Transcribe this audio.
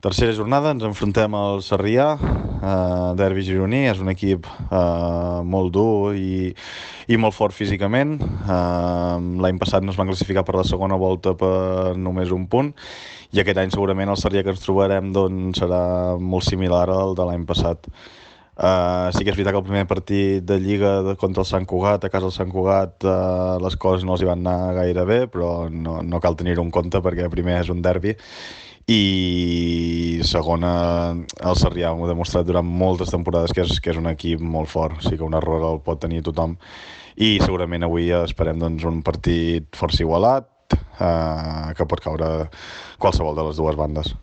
Tercera jornada, ens enfrontem al Sarrià, derbi gironí. És un equip molt dur i molt fort físicament. L'any passat no es van classificar per la segona volta per només un punt, i aquest any segurament el Sarrià que ens trobarem doncs, serà molt similar al de l'any passat. Sí que és veritat que el primer partit de Lliga contra el Sant Cugat, a casa del Sant Cugat, les coses no els hi van anar gaire bé, però no cal tenir-ho en compte perquè primer és un derbi, i segona, el Sarrià ho ha demostrat durant moltes temporades que és un equip molt fort. Sí que un error el pot tenir tothom, i segurament avui esperem doncs, un partit força igualat, que pot caure qualsevol de les dues bandes.